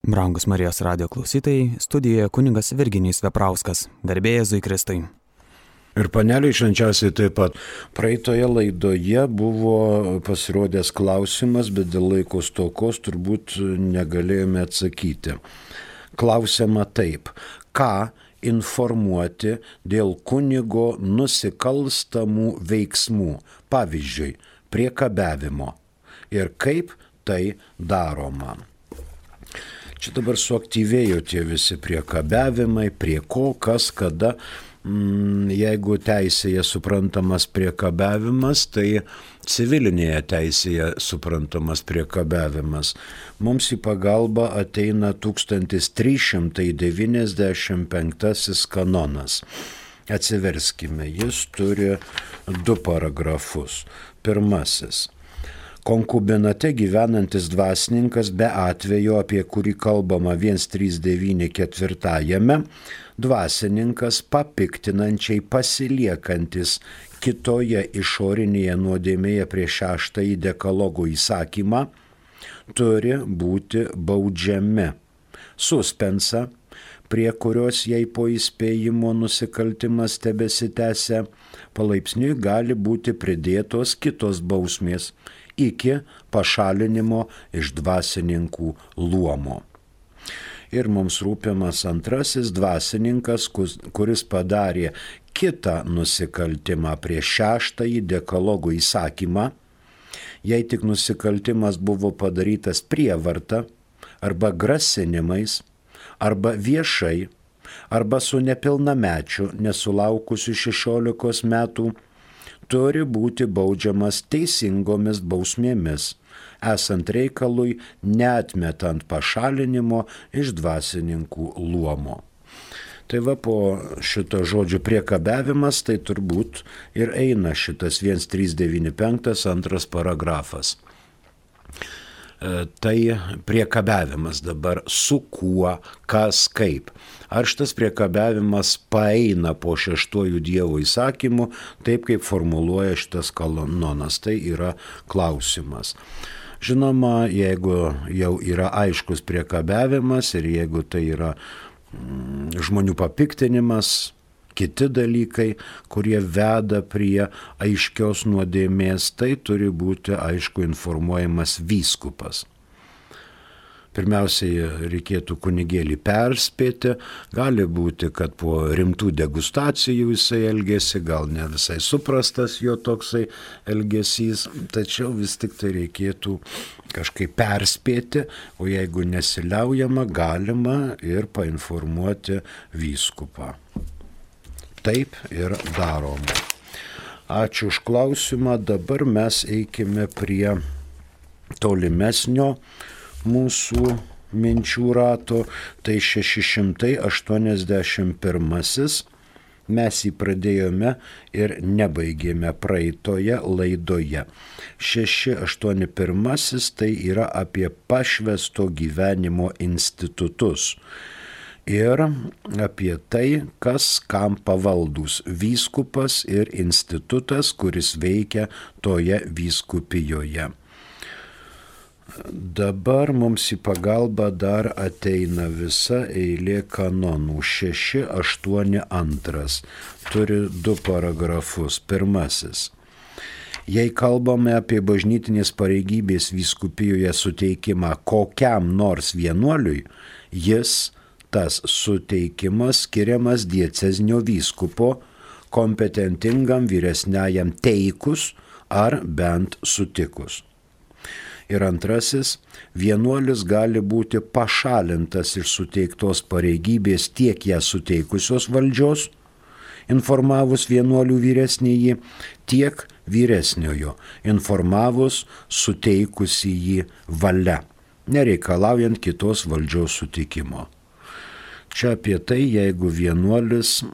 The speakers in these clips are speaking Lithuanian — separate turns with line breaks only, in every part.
Brangus Marijos radijo klausytojai, studijoje kunigas Virginijus Veprauskas, garbė Jėzui Kristui.
Ir paneliai švenčiausiai taip pat. Praeitoje laidoje buvo pasirodęs klausimas, bet dėl laiko stokos turbūt negalėjome atsakyti. Klausiama taip: ką informuoti dėl kunigo nusikalstamų veiksmų, pavyzdžiui, priekabiavimo, ir kaip tai daroma? Čia dabar suaktyvėjo tie visi priekabiavimai, prie ko, kas, kada. Jeigu teisėje suprantamas priekabiavimas, tai civilinėje teisėje suprantamas priekabiavimas. Mums į pagalbą ateina 1395 kanonas. Atsiverskime, jis turi 2 paragrafus. Pirmasis. Konkubinate gyvenantis dvasininkas be atvejo, apie kurį kalbama 139 dvasininkas papiktinančiai pasiliekantis kitoje išorinėje nuodėmėje prieš 6 dekalogo įsakymą turi būti baudžiami. Suspensa, prie kurios jai po įspėjimo nusikaltimas tebesitęsia, palaipsniui gali būti pridėtos kitos bausmės iki pašalinimo iš dvasininkų luomo. Ir mums rūpimas antrasis dvasininkas, kuris padarė kitą nusikaltimą prieš 6 dekalogo įsakymą, jei tik nusikaltimas buvo padarytas prievarta arba grasinimais, arba viešai, arba su nepilnamečiu nesulaukusiu 16 metų, turi būti baudžiamas teisingomis bausmėmis, esant reikalui neatmetant pašalinimo iš dvasininkų luomo. Tai va, po šito žodžio priekabiavimas, tai turbūt ir eina šitas 1395 2 paragrafas. Tai priekabiavimas dabar su kuo, kas, kaip. Ar šitas priekabiavimas paeina po 6 Dievo įsakymu, taip kaip formuluoja šitas kanonas, tai yra klausimas. Žinoma, jeigu jau yra aiškus priekabiavimas ir jeigu tai yra žmonių papiktinimas, kiti dalykai, kurie veda prie aiškios nuodėmės, tai turi būti aišku informuojamas vyskupas. Pirmiausiai reikėtų kunigėlį perspėti, gali būti, kad po rimtų degustacijų jisai elgėsi, gal ne visai suprastas jo toksai elgesys, tačiau vis tik tai reikėtų kažkaip perspėti, o jeigu nesiliaujama, galima ir painformuoti vyskupą. Taip ir daroma. Ačiū už klausimą, dabar mes eikime prie tolimesnio mūsų minčių rato, tai 681. Mes jį pradėjome ir nebaigėme praeitoje laidoje. 681 tai yra apie pašvęsto gyvenimo institutus ir apie tai, kas kam pavaldus vyskupas ir institutas, kuris veikia toje vyskupijoje. Dabar mums į pagalbą dar ateina visa eilė kanonų. 682. Turi 2 paragrafus. Pirmasis. Jei kalbame apie bažnytinės pareigybės vyskupijoje suteikimą kokiam nors vienuoliui, jis, tas suteikimas, skiriamas diecezinio vyskupo, kompetentingam vyresniajam teikus ar bent sutikus. Ir antrasis, vienuolis gali būti pašalintas iš suteiktos pareigybės tiek ją suteikusios valdžios, informavus vienuolių vyresnįjį, tiek vyresniojo, informavus suteikusįjį valia, nereikalaujant kitos valdžios sutikimo. Čia apie tai, jeigu vienuolis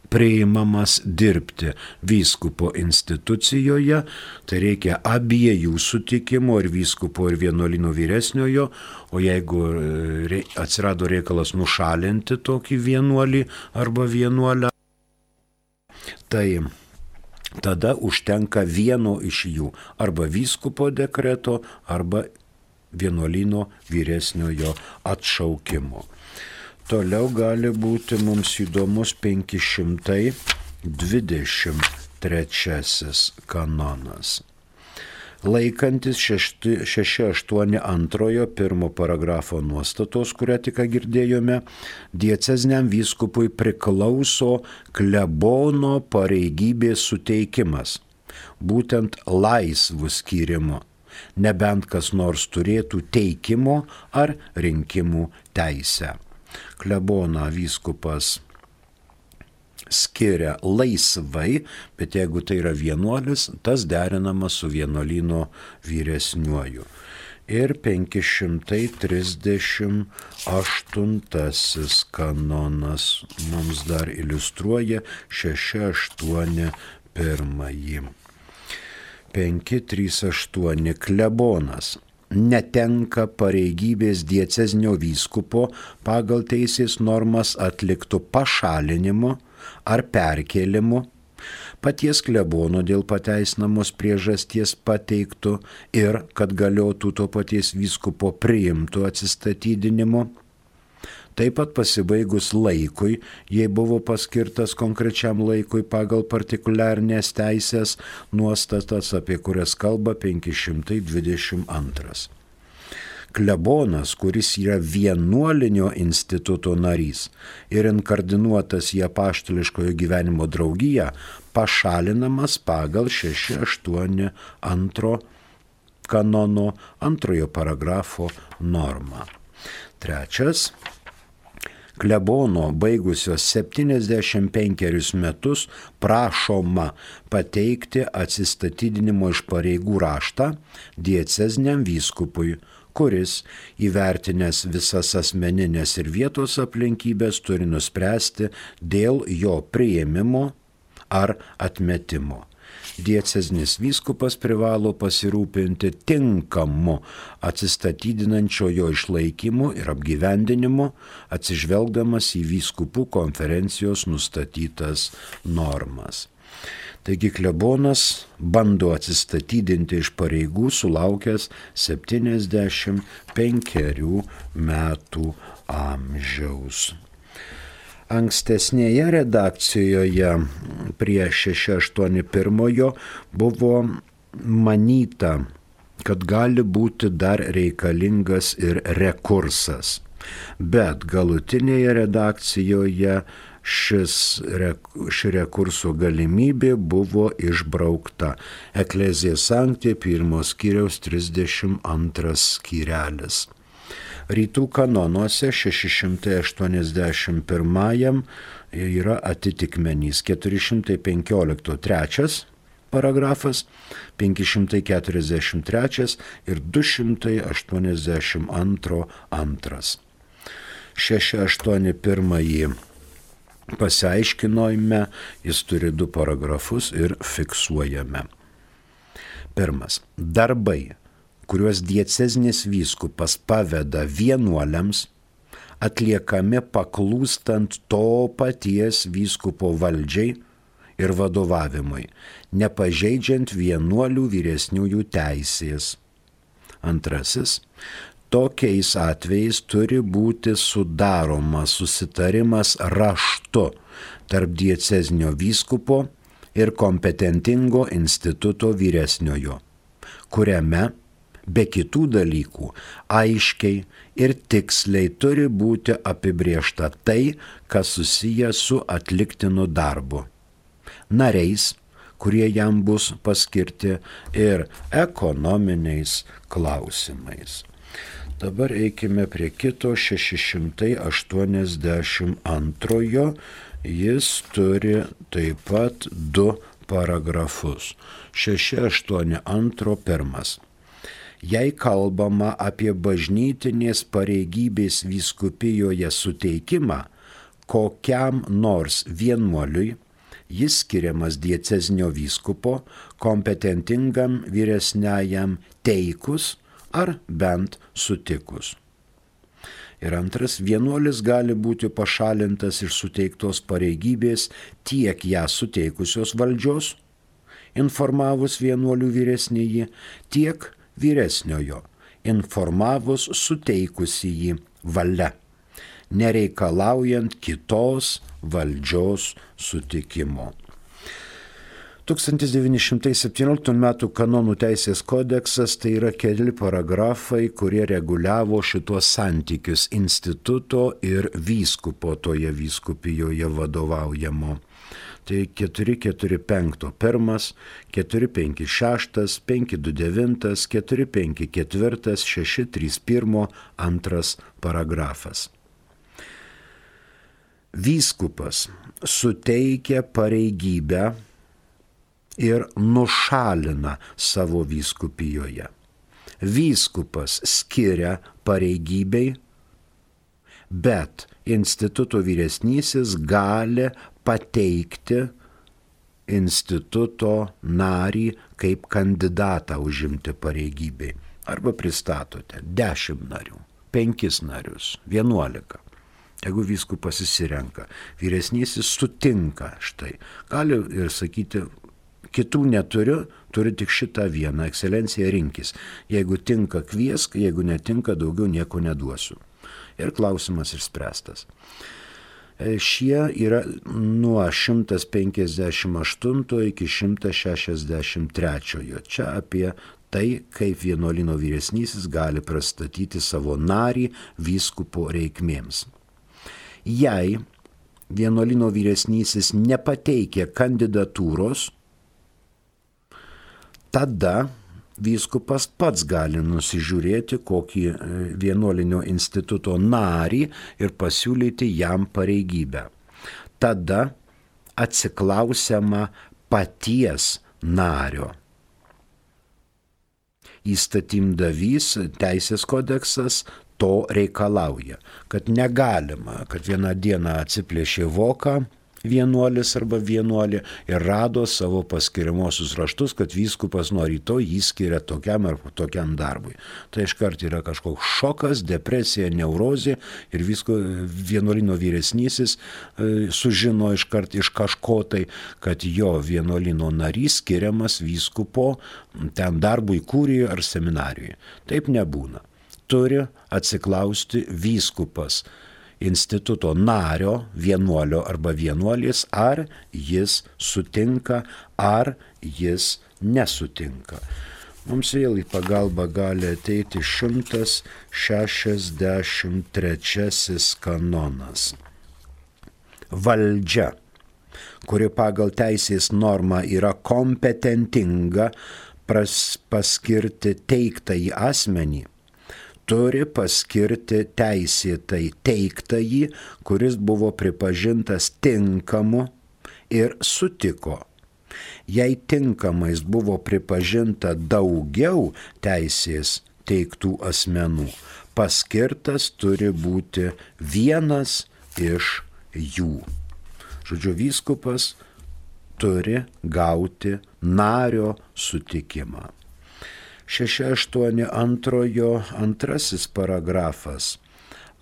priimamas dirbti vyskupo institucijoje, tai reikia abiejų sutikimo, ir vyskupo, ir vienuolino vyresniojo, o jeigu atsirado reikalas nušalinti tokį vienuolį arba vienuolę, tai tada užtenka vieno iš jų, arba vyskupo dekreto, arba vienuolyno vyresniojo atšaukimo. Toliau gali būti mums įdomus 523 kanonas. Laikantis 682 pirmo paragrafo nuostatos, kurią tik girdėjome, dieceziniam vyskupui priklauso klebono pareigybės suteikimas, būtent laisvų skyrimo, nebent kas nors turėtų teikimo ar rinkimų teisę. Kleboną vyskupas skiria laisvai, bet jeigu tai yra vienuolis, tas derinama su vienuolyno vyresniuoju. Ir 538 kanonas mums dar iliustruoja 681. 538 klebonas netenka pareigybės diecezinio vyskupo pagal teisės normas atliktų pašalinimo ar perkėlimu, paties klebono dėl pateisinamos priežasties pateiktų ir kad galiotų to paties vyskupo priimtų atsistatydinimo. Taip pat pasibaigus laikui, jei buvo paskirtas konkrečiam laikui pagal partikuliarnės teisės nuostatas, apie kurias kalba 522. Klebonas, kuris yra vienuolinio instituto narys ir inkardinuotas į apaštališkojo gyvenimo draugiją, pašalinamas pagal 682 kanono 2 paragrafo normą. Trečias. Klebono baigusios 75 metus prašoma pateikti atsistatydinimo iš pareigų raštą dieceziniam vyskupui, kuris, įvertinęs visas asmeninės ir vietos aplinkybės, turi nuspręsti dėl jo priėmimo ar atmetimo. Diecezinis vyskupas privalo pasirūpinti tinkamu atsistatydinančiojo išlaikymu ir apgyvendinimu, atsižvelgdamas į vyskupų konferencijos nustatytas normas. Taigi klebonas bando atsistatydinti iš pareigų sulaukęs 75 metų amžiaus. Ankstesnėje redakcijoje prie 681 buvo manyta, kad gali būti dar reikalingas ir rekursas, bet galutinėje redakcijoje ši rekurso galimybė buvo išbraukta. Ecclesiae Sancti 1 skyriaus 32 skyrelis. Rytų kanonuose 681 yra atitikmenys 415 3 paragrafas, 543 ir 282 2. 681 pasiaiškinojame, jis turi 2 paragrafus ir fiksuojame. Pirmas. Darbai, kuriuos diecezinis vyskupas paveda vienuoliams, atliekami paklūstant to paties vyskupo valdžiai ir vadovavimui, nepažeidžiant vienuolių vyresniųjų teisės. Antrasis. Tokiais atvejais turi būti sudaromas susitarimas raštu tarp diecezinio vyskupo ir kompetentingo instituto vyresniojo, kuriame be kitų dalykų aiškiai ir tiksliai turi būti apibriešta tai, kas susiję su atliktinu darbu, nariais, kurie jam bus paskirti, ir ekonominiais klausimais. Dabar eikime prie kito 682. Jis turi taip pat 2 paragrafus. 682 1. Jei kalbama apie bažnytinės pareigybės vyskupijoje suteikimą kokiam nors vienuoliui, jis skiriamas diecezinio vyskupo kompetentingam vyresniajam teikus ar bent sutikus. Ir antras, vienuolis gali būti pašalintas iš suteiktos pareigybės tiek ją suteikusios valdžios, informavus vienuolių vyresnįjį, tiek vyresniojo, informavus suteikusį jį valia, nereikalaujant kitos valdžios sutikimo. 1917 m. kanonų teisės kodeksas tai yra keli paragrafai, kurie reguliavo šitos santykius instituto ir vyskupo toje vyskupijoje vadovaujamo. Tai 445 pirmas, 456, 529, 454, 631 antras paragrafas. Vyskupas suteikia pareigybę ir nušalina savo vyskupijoje. Vyskupas skiria pareigybei, bet instituto vyresnysis gali pateikti instituto narį kaip kandidatą užimti pareigybei. Arba pristatote 10 narių, 5 narius, 11. Jeigu vyskupas įsirenka, vyresnysis sutinka štai. Gali ir sakyti, kitų neturiu, turiu tik šitą vieną, ekscelencija rinkis. Jeigu tinka kviesk, jeigu netinka daugiau nieko neduosiu. Ir klausimas išspręstas. Šie yra nuo 158 iki 163. Čia apie tai, kaip vienuolyno vyresnysis gali pristatyti savo narį vyskupo reikmėms. Jei vienuolyno vyresnysis nepateikia kandidatūros, tada vyskupas pats gali nusižiūrėti kokį vienuolinio instituto narį ir pasiūlyti jam pareigybę. Tada atsiklausiama paties nario. Įstatymdavys teisės kodeksas to reikalauja, kad negalima, kad vieną dieną atsiplėšė voką vienuolis arba vienuolė ir rado savo paskiriamosius raštus, kad vyskupas nuo rytoj jį skiria tokiam ar tokiam darbui. Tai iškart yra kažkoks šokas, depresija, neurozė ir vienuolino vyresnysis sužino iškart iš kažko tai, kad jo vienuolino narys skiriamas vyskupo ten darbui kūrijoje ar seminarijoje. Taip nebūna. Turi atsiklausti vyskupas instituto nario, vienuolio arba vienuolės, ar jis sutinka, ar jis nesutinka. Mums vėl į pagalbą gali ateiti 163 kanonas. Valdžia, kuri pagal teisės normą yra kompetentinga paskirti teiktąjį asmenį, turi paskirti teisėtai teiktąjį, kuris buvo pripažintas tinkamu ir sutiko. Jei tinkamais buvo pripažinta daugiau teisės teiktų asmenų, paskirtas turi būti vienas iš jų. Žodžiu, vyskupas turi gauti nario sutikimą. 682 antrasis paragrafas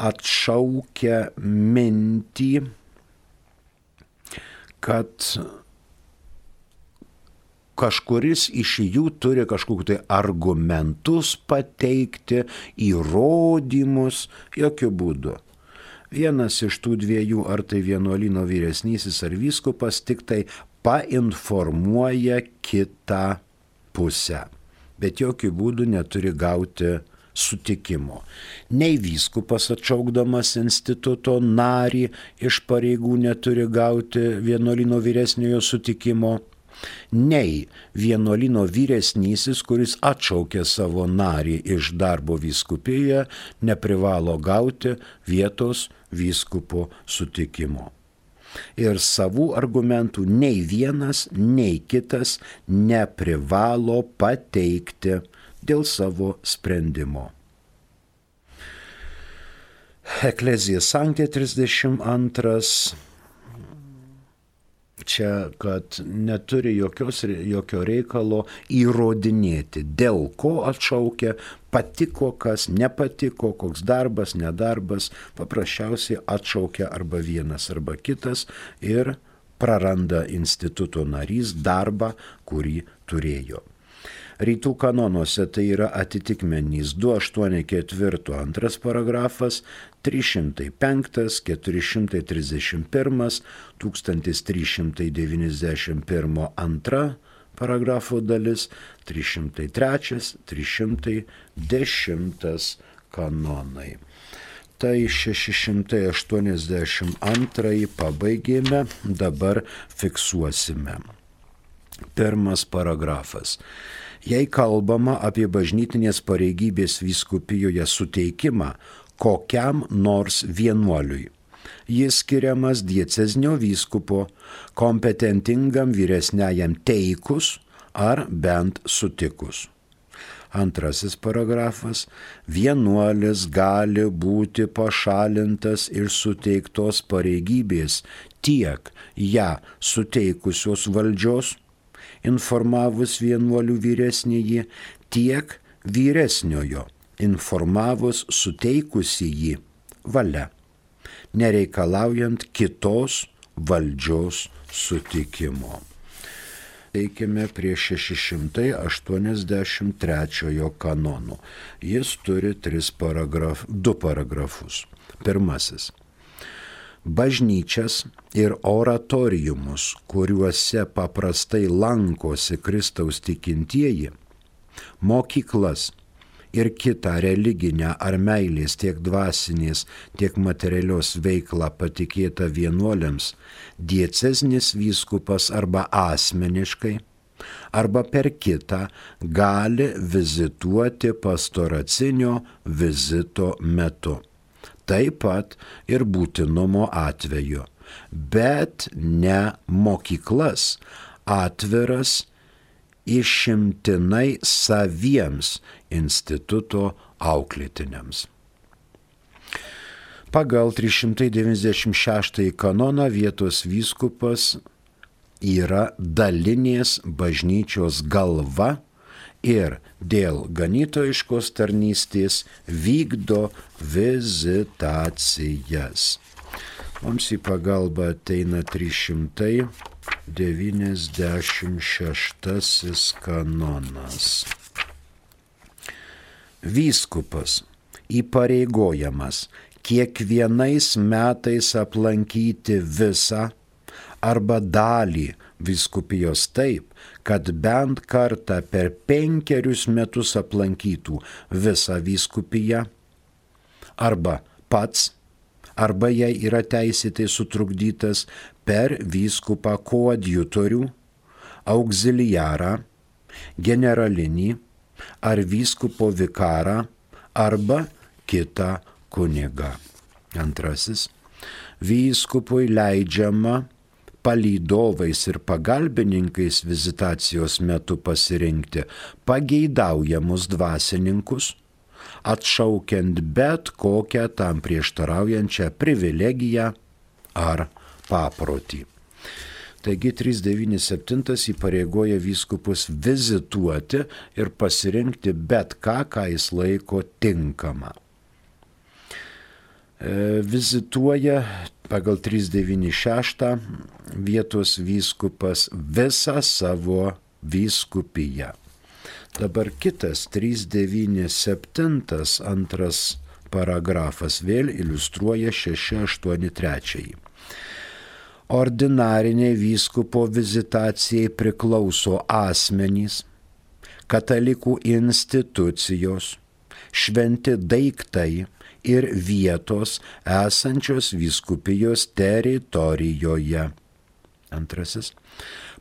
atšaukia mintį, kad kažkuris iš jų turi kažkokiu tai argumentus pateikti, įrodymus, jokių būdų. Vienas iš tų dviejų, ar tai vienuolyno vyresnysis ar vyskupas, tik tai painformuoja kitą pusę. Bet jokių būdų neturi gauti sutikimo. Nei vyskupas atšaukdamas instituto narį iš pareigų neturi gauti vienuolyno vyresniojo sutikimo, nei vienuolyno vyresnysis, kuris atšaukė savo narį iš darbo vyskupijoje, neprivalo gauti vietos vyskupo sutikimo. Ir savų argumentų nei vienas, nei kitas neprivalo pateikti dėl savo sprendimo. Ecclesia Sancta 32. Čia, kad neturi jokio reikalo įrodinėti, dėl ko atšaukia, patiko kas, nepatiko, koks darbas, nedarbas, paprasčiausiai atšaukia arba vienas arba kitas ir praranda instituto narys darbą, kurį turėjo. Rytų kanonuose tai yra atitikmenys 284 antras paragrafas, 305, 431, 1391 antra paragrafo dalis, 303, 310 kanonai. Tai 682 pabaigėme, dabar fiksuosime. Pirmas paragrafas. Jei kalbama apie bažnytinės pareigybės vyskupijoje suteikimą kokiam nors vienuoliui, jis skiriamas diecezinio vyskupo kompetentingam vyresniajam teikus ar bent sutikus. Antrasis paragrafas. Vienuolis gali būti pašalintas iš suteiktos pareigybės tiek ją suteikusios valdžios, informavus vienuolių vyresnįjį, tiek vyresniojo, informavus suteikusįjį valia, nereikalaujant kitos valdžios sutikimo. Teikime prie 683 kanono. Jis turi 2 paragrafus. Pirmasis. Bažnyčias ir oratoriumus, kuriuose paprastai lankosi Kristaus tikintieji, mokyklas ir kitą religinę ar meilės tiek dvasinės, tiek materialios veiklą patikėtą vienuoliams, diecezinis vyskupas arba asmeniškai, arba per kitą gali vizituoti pastoracinio vizito metu. Taip pat ir būtinumo atveju, bet ne mokyklas atviras išimtinai saviems instituto auklėtiniams. Pagal 396 kanoną vietos vyskupas yra dalinės bažnyčios galva ir dėl ganytojiškos tarnystės vykdo vizitacijas. Mums į pagalbą ateina 396 kanonas. Vyskupas įpareigojamas kiekvienais metais aplankyti visą arba dalį vyskupijos taip, kad bent kartą per 5 metus aplankytų visą vyskupiją, arba pats, arba jei yra teisėtai sutrukdytas per vyskupą koadjutorių, auxiliarą, generalinį ar vyskupo vikarą arba kitą kunigą. Antrasis. Vyskupui leidžiama palydovais ir pagalbininkais vizitacijos metu pasirinkti pageidaujamus dvasininkus, atšaukiant bet kokią tam prieštaraujančią privilegiją ar paprotį. Taigi 397 įpareigoja vyskupus vizituoti ir pasirinkti bet ką, ką jis laiko tinkama. Vizituoja pagal 396 vietos vyskupas visą savo vyskupiją. Dabar kitas 397 antras paragrafas vėl iliustruoja 683. Ordinariniai vyskupo vizitacijai priklauso asmenys, katalikų institucijos, šventi daiktai ir vietos esančios vyskupijos teritorijoje. Antrasis.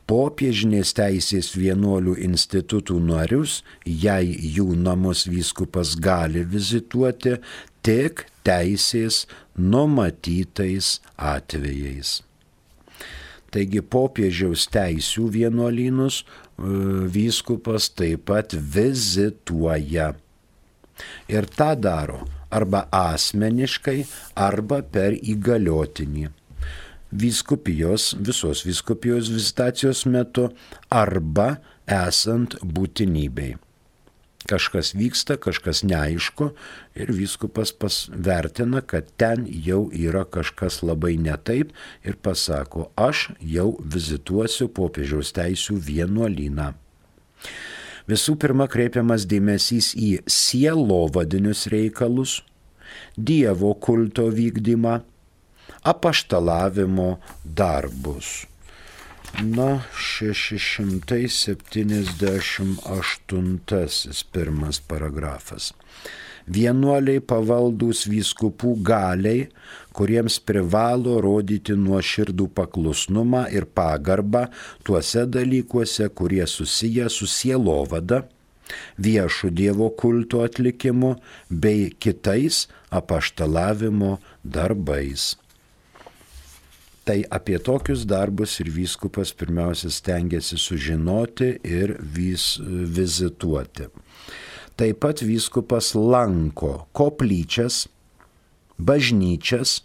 Popiežinės teisės vienuolių institutų narius, jei jų namus vyskupas gali vizituoti, tik teisės numatytais atvejais. Taigi popiežiaus teisių vienuolynus vyskupas taip pat vizituoja. Ir tą daro arba asmeniškai, arba per įgaliotinį. Visos vyskupijos vizitacijos metu arba esant būtinybei. Kažkas vyksta, kažkas neaišku ir vyskupas vertina, kad ten jau yra kažkas labai netaip ir pasako, aš jau vizituosiu popiežiaus teisių vienuolyną. Visų pirma kreipiamas dėmesys į sielovadinius reikalus, Dievo kulto vykdymą, apaštalavimo darbus. 678 pirmas paragrafas. Vienuoliai pavaldūs vyskupų galiai, kuriems privalo rodyti nuoširdų paklusnumą ir pagarbą tuose dalykuose, kurie susiję su sielovada, viešų Dievo kulto atlikimu bei kitais apaštalavimo darbais. Tai apie tokius darbus ir vyskupas pirmiausia stengiasi sužinoti ir vizituoti. Taip pat vyskupas lanko koplyčias, bažnyčias,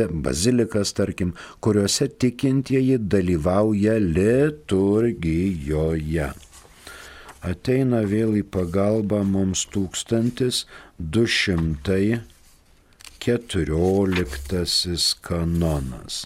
bazilikas tarkim, kuriuose tikintieji dalyvauja liturgijoje. Ateina vėl į pagalbą mums 1214 kanonas.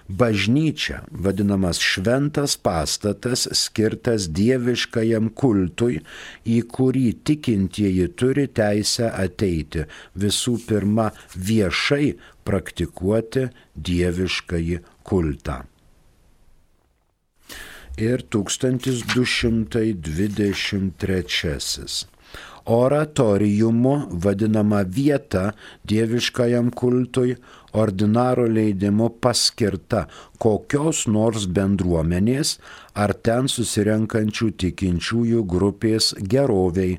Bažnyčia, vadinamas šventas pastatas, skirtas dieviškajam kultui, į kurį tikintieji turi teisę ateiti, visų pirma viešai praktikuoti dieviškąjį kultą. Ir 1223. Oratoriumu vadinama vieta dieviškajam kultui, ordinaro leidimu paskirta kokios nors bendruomenės ar ten susirenkančių tikinčiųjų grupės geroviai,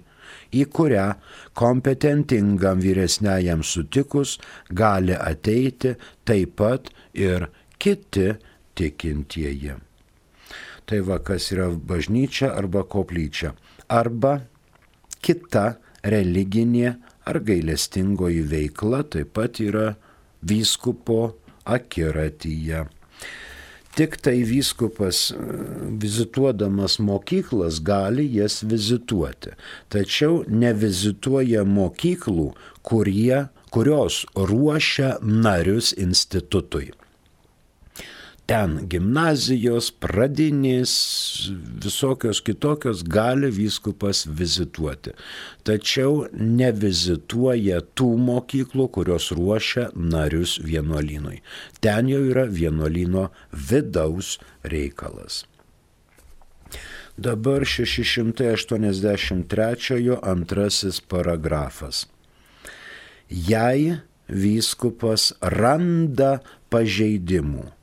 į kurią kompetentingam vyresniajam sutikus gali ateiti taip pat ir kiti tikintieji. Tai va, kas yra bažnyčia arba koplyčia, arba kita religinė ar gailestingoji veikla taip pat yra vyskupo akiratyje. Tik tai vyskupas vizituodamas mokyklas gali jas vizituoti, tačiau nevizituoja mokyklų, kurios ruošia narius institutui. Ten gimnazijos, pradinės, visokios kitokios gali vyskupas vizituoti. Tačiau nevizituoja tų mokyklų, kurios ruošia narius vienuolynui. Ten jau yra vienuolyno vidaus reikalas. Dabar 683 antrasis paragrafas. Jei vyskupas randa pažeidimų,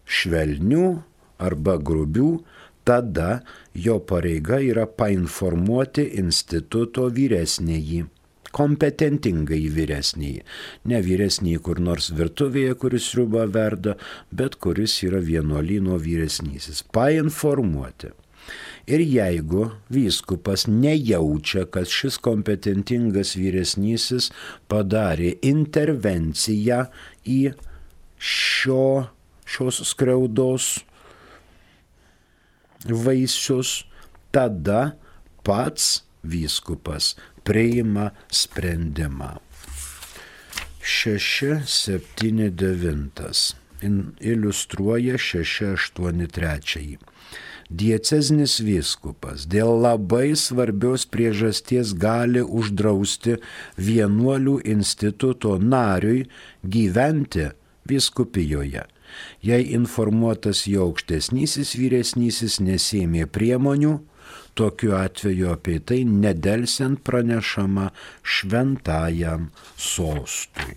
švelnių arba grubių, tada jo pareiga yra painformuoti instituto vyresnįjį, kompetentingai vyresnįjį. Ne vyresnįjį kur nors virtuvėje, kuris sriubą verda, bet kuris yra vienuolyno vyresnysis. Painformuoti. Ir jeigu vyskupas nejaučia, kad šis kompetentingas vyresnysis padarė intervenciją į šios skriaudos vaisius, tada pats vyskupas priima sprendimą. 679 iliustruoja 683. Diecezinis vyskupas dėl labai svarbios priežasties gali uždrausti vienuolių instituto nariui gyventi vyskupijoje. Jei informuotas jo aukštesnysis vyresnysis nesėmė priemonių, tokiu atveju apie tai nedelsiant pranešama šventajam sostui.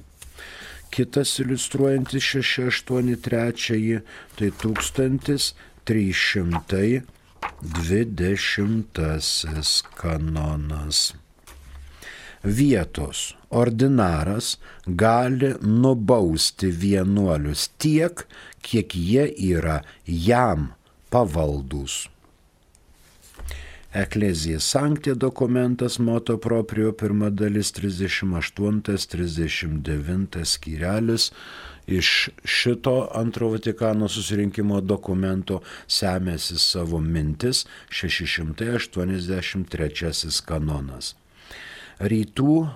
Kitas iliustruojantis 683, tai 1320 kanonas. Vietos ordinaras gali nubausti vienuolius tiek, kiek jie yra jam pavaldūs. Ecclesiae Sancti dokumentas moto proprio pirma dalis 38-39 skyrelis. Iš šito antro Vatikano susirinkimo dokumento semėsi savo mintis 683 kanonas. Rytų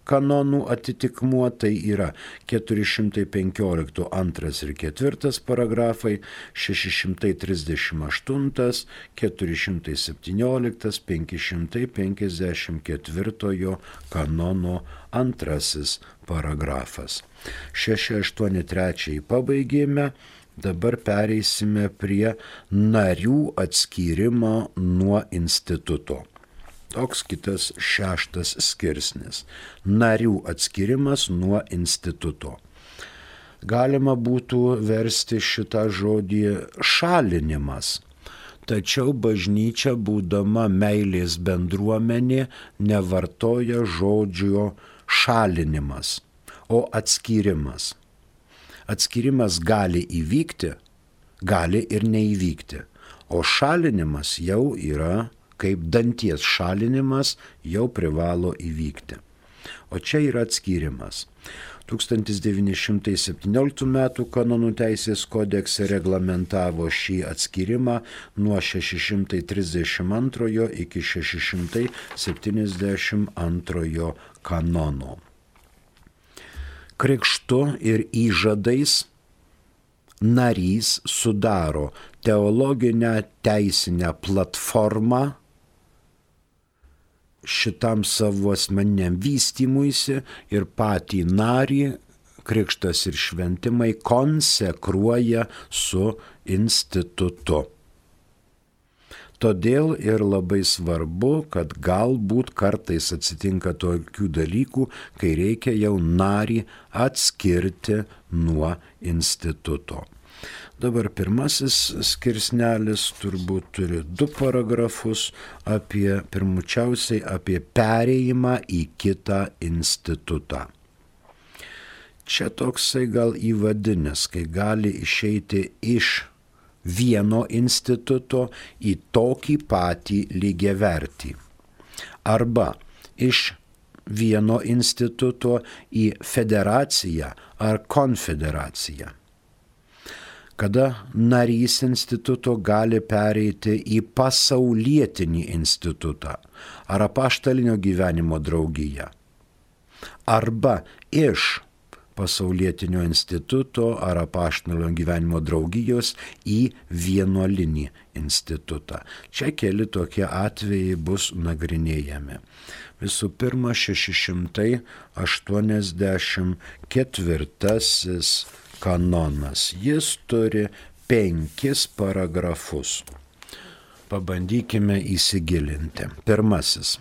kanonų atitikmuo, tai yra 415 2 ir 4 paragrafai, 638, 417, 554 kanono 2 paragrafas. 683 pabaigėme, dabar pereisime prie narių atskyrimo nuo instituto. Toks kitas 6 skirsnis. Narių atskirimas nuo instituto. Galima būtų versti šitą žodį šalinimas. Tačiau bažnyčia, būdama meilės bendruomenė, nevartoja žodžio šalinimas, o atskyrimas. Atskyrimas gali įvykti, gali ir neįvykti, o šalinimas jau yra kaip danties šalinimas, jau privalo įvykti. O čia yra atskyrimas. 1917 m. kanonų teisės kodekse reglamentavo šį atskyrimą nuo 632 iki 672 kanono. Krikštu ir įžadais narys sudaro teologinę teisinę platformą šitam savo asmeniniam vystymuisi ir patį narį krikštas ir šventimai konsekruoja su institutu. Todėl ir labai svarbu, kad galbūt kartais atsitinka tokių dalykų, kai reikia jau narį atskirti nuo instituto. Dabar pirmasis skirsnelis turbūt turi 2 paragrafus pirmučiausiai apie perėjimą į kitą institutą. Čia toksai gal įvadinis, kai gali išeiti iš vieno instituto į tokį patį lygiavertį. Arba iš vieno instituto į federaciją ar konfederaciją. Kada narys instituto gali pereiti į pasaulietinį institutą ar apaštalinio gyvenimo draugiją. Arba iš pasaulietinio instituto ar apaštalinio gyvenimo draugijos į vienuolinį institutą. Čia keli tokie atvejai bus nagrinėjami. Visų pirma, 684 kanonas. Jis turi 5 paragrafus. Pabandykime įsigilinti. Pirmasis.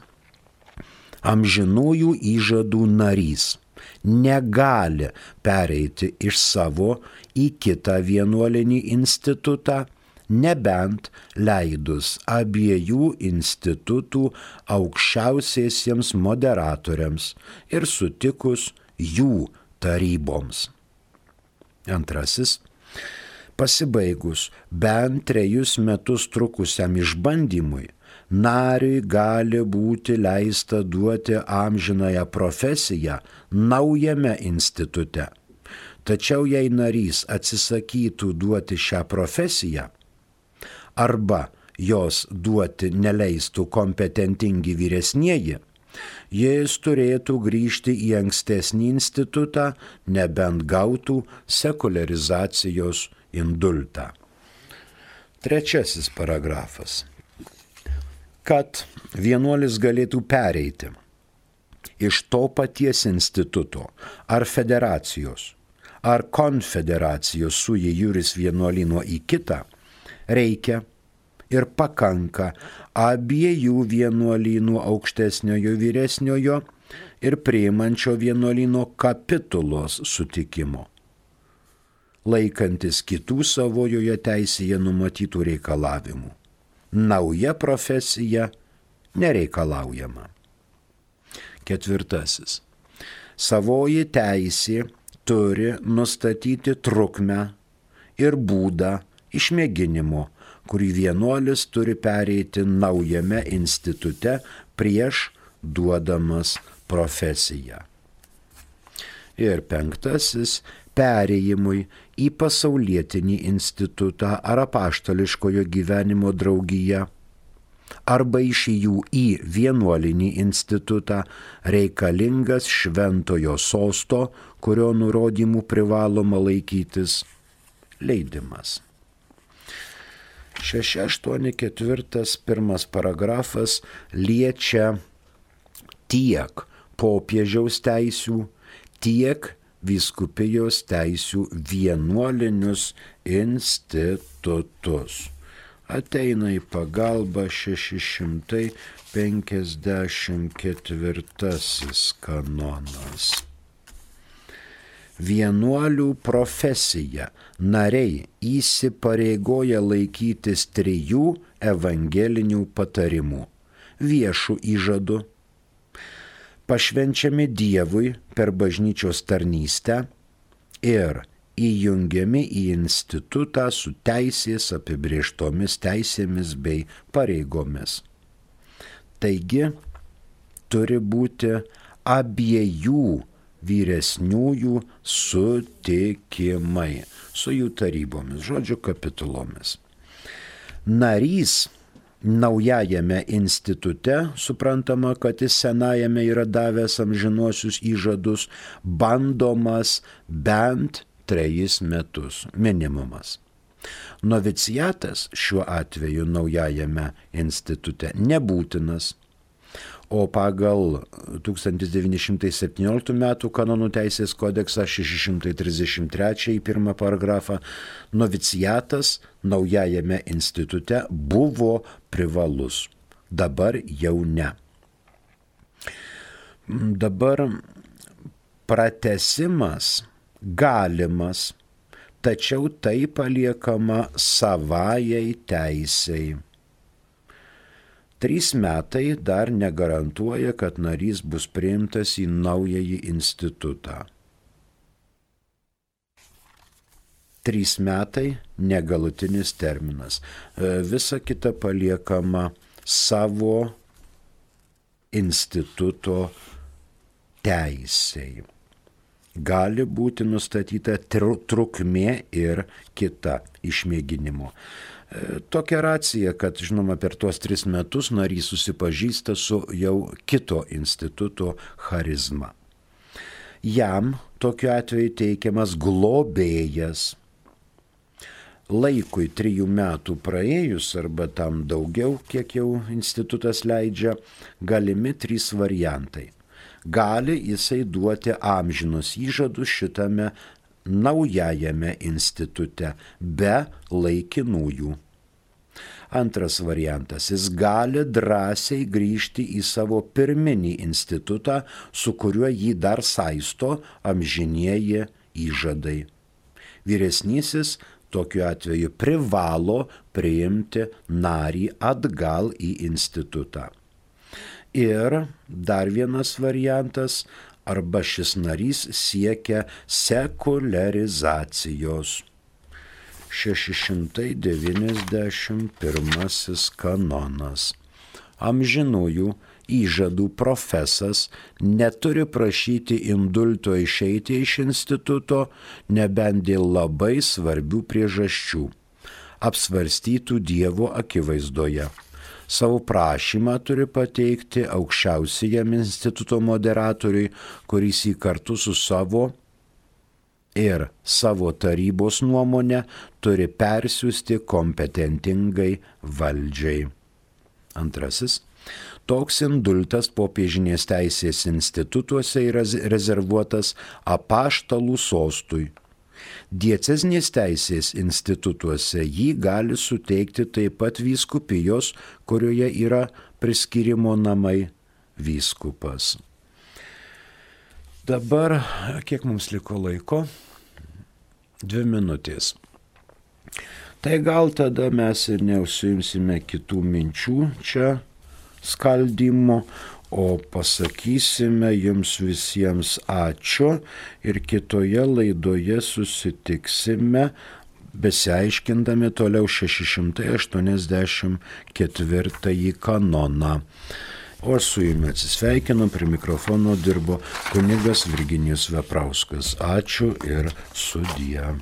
Amžinųjų įžadų narys negali pereiti iš savo į kitą vienuolinį institutą, nebent leidus abiejų institutų aukščiausiesiems moderatoriams ir sutikus jų taryboms. Antrasis. Pasibaigus bent 3 metus trukusiam išbandymui, nariui gali būti leista duoti amžinąją profesiją naujame institute. Tačiau jei narys atsisakytų duoti šią profesiją arba jos duoti neleistų kompetentingi vyresnieji, jis turėtų grįžti į ankstesnį institutą, nebent gautų sekuliarizacijos indultą. Trečiasis paragrafas. Kad vienuolis galėtų pereiti iš to paties instituto ar federacijos ar konfederacijos sui juris vienuolino į kitą, reikia ir pakanka abiejų vienuolynų aukštesniojo vyresniojo ir priimančio vienuolyno kapitulos sutikimo, laikantis kitų savojoje teisėje numatytų reikalavimų. Nauja profesija nereikalaujama. Ketvirtasis. Savoji teisė turi nustatyti trukmę ir būdą išmėginimo, kurį vienuolis turi pereiti naujame institute prieš duodamas profesiją. Ir penktasis. Perėjimui į pasaulietinį institutą ar apaštališkojo gyvenimo draugiją arba iš jų į vienuolinį institutą reikalingas šventojo sosto, kurio nurodymų privaloma laikytis, leidimas. 684 pirmas paragrafas liečia tiek popiežiaus teisių, tiek vyskupijos teisių vienuolinius institutus. Ateina į pagalbą 654 kanonas. Vienuolių profesija nariai įsipareigoja laikytis 3 evangelinių patarimų – viešų įžadų, pašvenčiami Dievui per bažnyčios tarnystę ir įjungiami į institutą su teisės apibrėžtomis teisėmis bei pareigomis. Taigi, turi būti abiejų vyresniųjų sutikimai su jų tarybomis, žodžiu kapitulomis. Narys naujajame institute, suprantama, kad jis senajame yra davęs amžinuosius įžadus, bandomas bent 3 metus, minimumas. Noviciatas šiuo atveju naujajame institute nebūtinas, o pagal 1917 metų kanonų teisės kodeksą 633 pirmą paragrafą noviciatas naujajame institute buvo privalus, dabar jau ne. Dabar pratęsimas galimas, tačiau tai paliekama savajai teisei. 3 metai dar negarantuoja, kad narys bus priimtas į naująjį institutą. 3 metai negalutinis terminas. Visa kita paliekama savo instituto teisei. Gali būti nustatyta trukmė ir kita išmėginimo. Tokia racija, kad, žinoma, per tuos 3 metus narys susipažįsta su jau kito instituto charizma. Jam tokiu atveju teikiamas globėjas. Laikui 3 metų praėjus arba tam daugiau, kiek jau institutas leidžia, galimi 3 variantai. Gali jisai duoti amžinus įžadus šitame naujajame institute be laikinųjų. Antras variantas, jis gali drąsiai grįžti į savo pirminį institutą, su kuriuo jį dar saisto amžinieji įžadai. Vyresnysis tokiu atveju privalo priimti narį atgal į institutą. Ir dar vienas variantas, arba šis narys siekia sekuliarizacijos. 691 kanonas. Amžinųjų įžadų profesas neturi prašyti indulto išeiti iš instituto, nebent dėl labai svarbių priežasčių, apsvarstytų Dievo akivaizdoje. Savo prašymą turi pateikti aukščiausiajam instituto moderatoriui, kuris jį kartu su savo ir savo tarybos nuomonę turi persiųsti kompetentingai valdžiai. Antrasis. Toks indultas popiežinės teisės institutuose yra rezervuotas apaštalų sostui. Diecezinės teisės institutuose jį gali suteikti taip pat vyskupijos, kurioje yra priskyrimo namai vyskupas. Dabar, kiek mums liko laiko? 2 minutės. Tai gal tada mes ir neužsiimsime kitų minčių čia skaldymo, o pasakysime jums visiems ačiū ir kitoje laidoje susitiksime, besiaiškindami toliau 684 kanoną. O su jumis atsisveikinu, prie mikrofono dirbo kunigas Virginijus Veprauskas. Ačiū ir sudie.